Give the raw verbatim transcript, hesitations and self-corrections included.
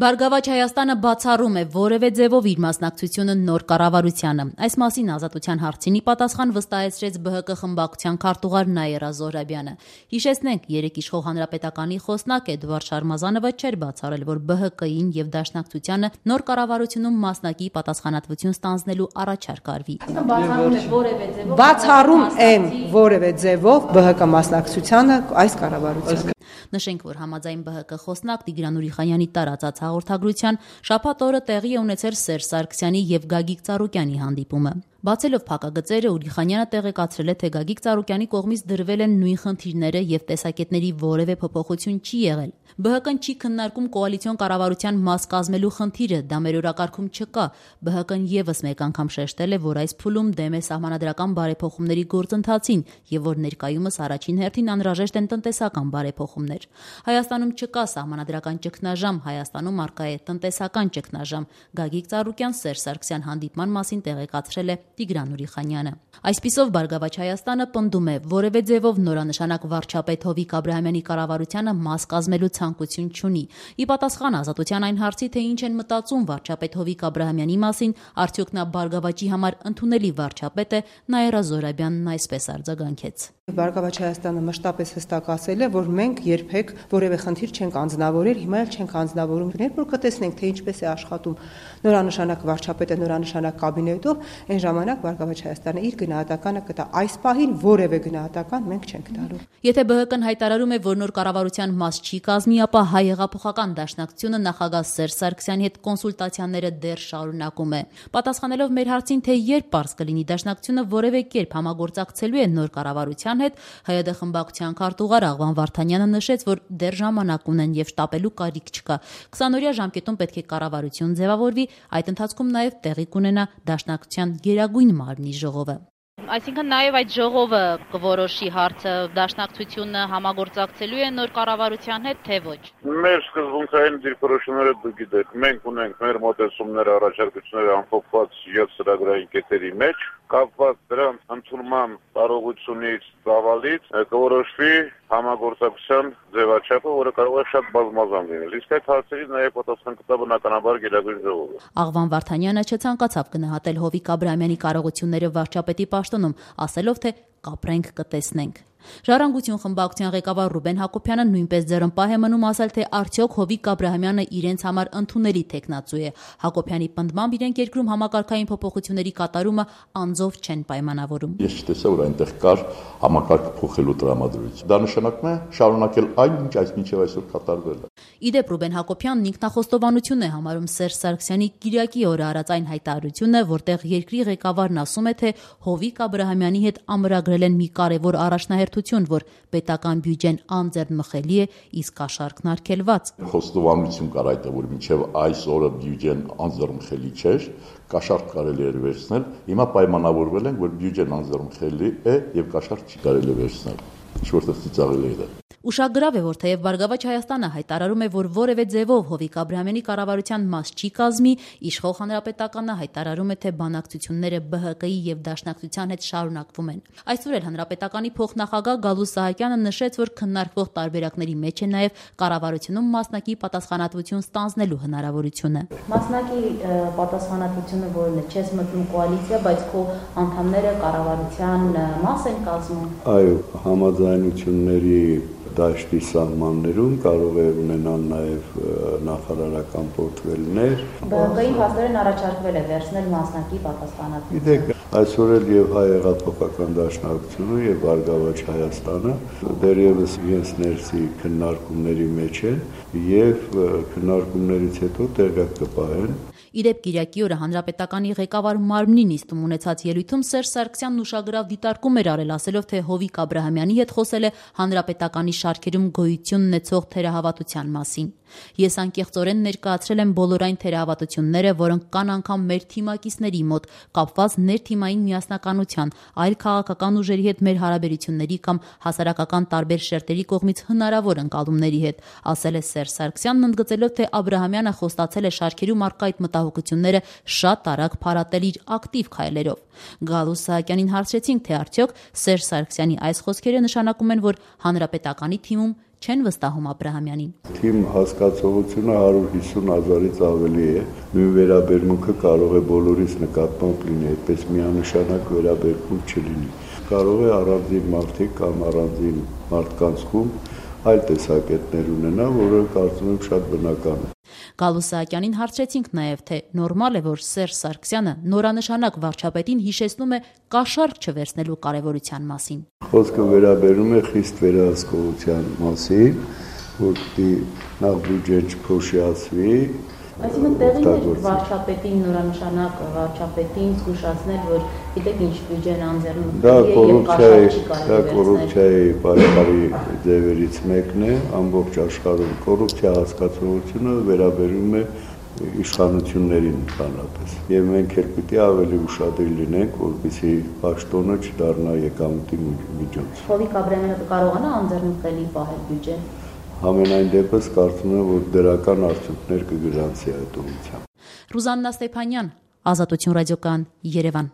Բարգավաճ Հայաստանը բացառում է որևէ ձևով իր մասնակցությունը նոր կառավարությանը։ Այս մասին Ազատության հարցինի պատասխան վստահեցրեց Բ Հ Կ խմբակցության քարտուղար Նաիրա Զոհրաբյանը։ Հիշեցնենք, երեկ իշխող Հանրապետականի խոսնակ Էդվարդ Շարմազանովը չէր բացառել, որ Բ Հ Կ-ին եւ Դաշնակցությանը նոր կառավարությունում մասնակի պատասխանատվություն ստանձնելու առաջարկ արվի։ Բացառում են որևէ ձևով Բ Հ Կ մասնակցությանը այս կառավարությանը։ Նշենք, որ համաձայն Բ Հ Կ խոսնակ Տիգրան Ուրիխանյանի տարածած հաղորդագրության շաբաթ օրը տեղի է ունեցել Սերժ Սարգսյանի եւ Գագիկ Ծառուկյանի հանդիպումը։ Բացելով փակագծերը, Ուրիխանյանը տեղեկացրել է, թե Գագիկ Ծառուկյանի կողմից դրվել են նույն խնդիրները եւ տեսակետների որևէ փոփոխություն չի եղել։ Բ Հ Կ-ն չի քննարկում կոալիցիոն կառավարության մաս կազմելու խնդիրը, դա մեր օրակարգում չկա։ Բ Հ Կ-ն եւս մեկ անգամ շեշտել է, որ այս փուլում դեմ է սահմանադրական բարեփոխումների գործընթացին եւ որ ներկայումս առաջին հերթին անհրաժեշտ են տնտեսական բարեփոխումներ։ Հայաստանում չկա սահմանադրական ճգնաժամ, Հայաստանում առկա է տնտեսական ճգնաժամ։ Գագիկ Ծառուկյան Սերժ Սարգսյան հանդիպման մասին տեղեկացրել է Տիգրան Ուրիխանյանը։ Այսպիսով Բարգավաճ Հայաստանը պնդում է, որևէ ձևով նորանշանակ վարչապետ Հովիկ Աբրահամյանի կառավարությանը մաս կազմելու ցանկություն չունի։ Ի պատասխան Ազատության այն հարցի, թե ինչ են մտածում վարչապետ Հովիկ Աբրահամյանի մասին, արդյոք նա Բարգավաճի համար ընդունելի վարչապետ է, Նաիրա Զոհրաբյանն այսպես արձագանքեց։ Բարգավաճ Հայաստանը մշտապես հստակ ասել է, որ մենք երբեք որևէ խնդիր չենք անձնավորել, հիմա էլ չենք անձնավորում։ Երբ որ կտեսնենք, թե ինչպես է աշխատում նորանշանակ վարչապետը նորանշանակ կաբինետով, այն ժամանակ Բարգավաճ Հայաստանը իր գնահատականը կտա։ Այս պահին որևէ գնահատական մենք չենք տալու։ Եթե Բ Հ Կ-ն հայտարարում է, որ նոր կառավարության մաս չի կազմի, ապա Հայ հեղափոխական դաշնակցությունը նախագահ Սերժ Սարգսյանի հետ կոնսուլտացիաները դեռ շարունակում է։ Պատասխանելով մեր հարցին, թե երբ պարզ կլինի դաշնակցությունը որևէ կերպ համագործակցելու է նոր կառավարության հետ, Հայ Հ Դ խմբակցության քարտուղար Աղվան Վարդանյանը նշեց, որ դեռ ժամանակ ունեն եւ շտապելու կարիք չկա։ քսանօրյա ժամկետում պետք է կառավարություն ձևավորվի, այդ ընթացքում նաեւ տեղի կունենա դաշնակցության գերագույն մարմնի ժողովը։ Այսինքն նաև այդ ժողովը կորոշի հարցը, դաշնակցությունը համագործակցելու է նոր կառավարության հետ, թե ոչ։ Մեր սկզբունքային դիրքորոշումները դուք գիտեք, մենք ունենք մեր մոտեցումները, առաջարկությունները ամփոփված յոթ ծրագրային կետերի մեջ, կապված դրանց ընդունման կարողությունից, ծավալից կորոշվի համագործակցության ձևաչափը, որը կարող է շատ բազմազան լինել։ Իսկ այդ հարցերից նաև պատասխան կտա բնականաբար գերագույն ժողովը։ Աղվան Վարդանյանը չցանկացավ գնահատել Հովիկ Աբրահամյանի կարողությունները վարչապետի պաշտոնում, ասելով, թե կապրենք, կտեսնենք։ Ժառանգություն խմբակցության ղեկավար Ռուբեն Հակոբյանը նույնպես ձեռնպահ է մնում ասել, թե արդյոք Հովիկ Աբրահամյանը իրենց համար ընդունելի տեխնացու է։ Հակոբյանի պնդմամբ իրենք երկրում համակարգային փոփոխությունների կատարումը անձով չեն պայմանավորում։ Ես չտեսա, որ այնտեղ կար համակարգ փոխելու տրամադրություն։ Դա նշանակում է շարունակել այն, ինչ այսմինչև այսօր կատարվել է։ Իդեպ Ռուբեն Հակոբյանն ինքնախոստովանություն է համարում Սերժ Սարգսյանի Կիրակի օրը արած այն հայտարարությունը, որտեղ երկրի ղեկավարն ասում է, թե Հովիկ Աբրահամյանի հետ ամրագրել են մի կարևոր առաջնահերթություն, որ պետական բյուջեն անձեռնմխելի է, իսկ կաշառքն արգելված։ Խոստովանություն կար այդտեղ, որ մինչև այս օրը բյուջեն անձեռնմխելի չէր, կաշառք կարելի էր վերցնել, հիմա պայմանավորվել են, որ բյուջեն անձեռնմխելի է եւ կաշառք չի կարելի վերցնել։ Ինչ որտեղ ծիծաղելի է դա։ Ուշագրավ է, որ թեև Բարգավաճ Հայաստանը հայտարարում է, որ որևէ ձևով Հովիկ Աբրահամյանի կառավարության մաս չի կազմի, իշխող Հանրապետականը հայտարարում է, թե բանակցությունները Բ Հ Կ-ի եւ Դաշնակցության հետ շարունակվում են։ Այսօր էլ Հանրապետականի փոխնախագահ Գալուստ Սահակյանը նշեց, որ քննարկվող տարբերակների մեջ է նաեւ կառավարությունում մասնակի պատասխանատվություն ստանձնելու հնարավորությունը։ Մասնակի պատասխանատվությունը որն է, չես մտնում կոալիցիա, բայց քո անդամները կառավարության մաս են կազմում։ Այո, համաձայնությունների դաշտի սահմաններում կարող է ունենալ նաև նախարարական պորտֆելներ։ Բ Հ Կ-ին փաստորեն առաջարկվել է վերցնել մասնակի պատասխանատվություն։ Գիտեք, այսօր էլ եւ Հայ հեղափոխական դաշնակցությունը եւ Բարգավաճ Հայաստանը դեռևս իրենց ներսի քննարկումների մեջ են եւ քննարկումներից հետո տեղյակ կպահեն։ Իդեպ Կիրակի օրը Հանրապետականի ղեկավար մարմնի նիստում ունեցած ելույթում Սերժ Սարգսյանն ուշագրավ դիտարկում էր արել, ասելով, թե Հովիկ Աբրահամյանի հետ խոսել է Հանրապետականի շարքերում գոյություն ունեցող թերահավատության մասին։ Ես անկեղծորեն ներկայացրել եմ բոլոր այն թերահավատությունները, որոնք կան անգամ մեր թիմակիցների մոտ, կապված ներթիմային միասնականության, այլ քաղաքական ուժերի հետ մեր հարաբերությունների կամ հասարակական տարբեր շերտերի կողմից հնարավոր ընկալումների հետ, ասել է Սերժ Սարգսյանն, ընդգծելով, թե Աբրահամյանը խոստացել է շարքերում առկա այդ մտահոգությունները շատ արագ փարատել իր ակտիվ քայլերով։ Գալուստ Սահակյանին հարցրեցինք, թե արդյոք Սերժ Սարգսյանի այս խոսքերը նշանակում են, որ Հանրապետականի թիմում չեն վստահում Աբրահամյանին։ Թիմ հասկացողությունը հարյուր հիսուն հազարից ավելի է։ Նույն վերաբերմունքը կարող է բոլորիս նկատմամբ լինի, այդպես միանշանակ վերաբերմունք չլինի։ Կարող է առանձին մարդիկ կամ առանձին մարդկանցում այլ տեսակետներ ունենա, որը կարծում եմ շատ բնական է։ Գալու Սահակյանին հարցրեցինք նաև, թե նորմալ է, որ Սերժ Սարգսյանը նորանշանակ վարչապետին հիշեցնում է կաշառք չվերցնելու կարևորության մասին։ Խոսքը վերաբերում է խիստ վերահսկողության մասին, որտի նախ բյուջեն չփոշիացվի։ Այսինքն տեղին է վարչապետին նորանշանակ վարչապետին զգուշացնել, որ գիտեք ինչ բյուջեն անձեռնունի Դա կոռուպցիայի, դա կոռուպցիայի բարեկարի ձևերից մեկն է, ամբողջ աշխարհում կոռուպցիա հասկացողությունը վերաբերում է իշխանություններին ընդհանրապես։ Եվ մենք էլ պիտի ավելի ուշադիր լինենք, որպեսզի պաշտոնը չդառնա եկամտի միջոց։ Հովիկ Աբրահամյանը կարողանա անձեռնունի պահել բյուջեն։ Համենայն դեպս կարծում եմ, որ դրական արդյունքներ կգրանցի այդ ուղղությամբ։ Ռուզաննա Ստեփանյան, Ազատություն ռադիոկայան, Երևան։